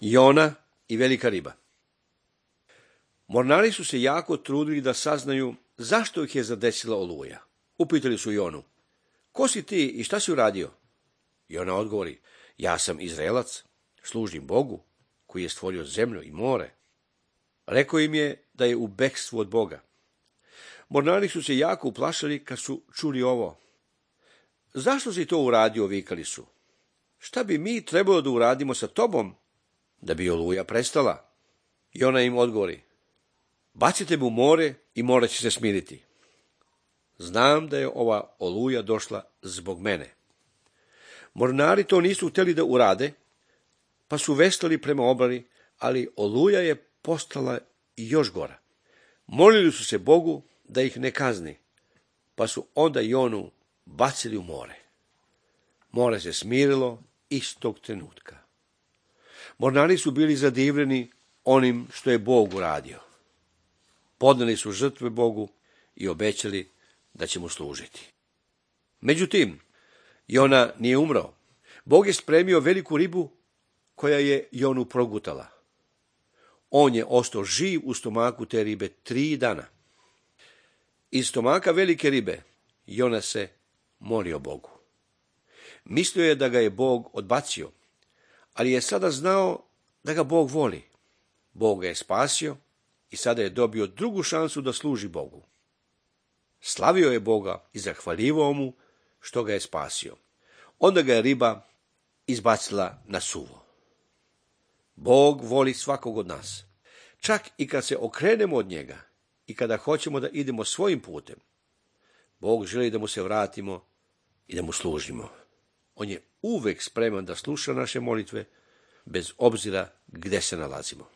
Jona i velika riba. Mornari su se jako trudili da saznaju zašto ih je zadesila oluja. Upitali su Jonu: ko si ti i šta si uradio? Jona odgovori: ja sam Izraelac, služim Bogu koji je stvorio zemlju i more. Rekao im je da je u bekstvu od Boga. Mornari su se jako uplašili kad su čuli ovo. Zašto si to uradio, vikali su. Šta bi mi trebalo da uradimo sa tobom da bi oluja prestala? Jona im odgovori: bacite me u more i more će se smiriti. Znam da je ova oluja došla zbog mene. Mornari to nisu htjeli da urade, pa su veslali prema obali, ali oluja je postala još gora. Molili su se Bogu da ih ne kazni, pa su onda Jonu bacili u more. More se smirilo istog trenutka. Mornari su bili zadivljeni onim što je Bog uradio. Podneli su žrtve Bogu i obećali da će mu služiti. Međutim, Jona nije umro. Bog je spremio veliku ribu koja je Jonu progutala. On je ostao živ u stomaku te ribe 3 dana. Iz stomaka velike ribe Jona se molio Bogu. Mislio je da ga je Bog odbacio, ali je sada znao da ga Bog voli. Bog ga je spasio i sada je dobio drugu šansu da služi Bogu. Slavio je Boga i zahvaljivao mu što ga je spasio. Onda ga je riba izbacila na suvo. Bog voli svakog od nas. Čak i kad se okrenemo od njega i kada hoćemo da idemo svojim putem, Bog želi da mu se vratimo i da mu služimo. On je uvek spreman da sluša naše molitve, bez obzira gde se nalazimo.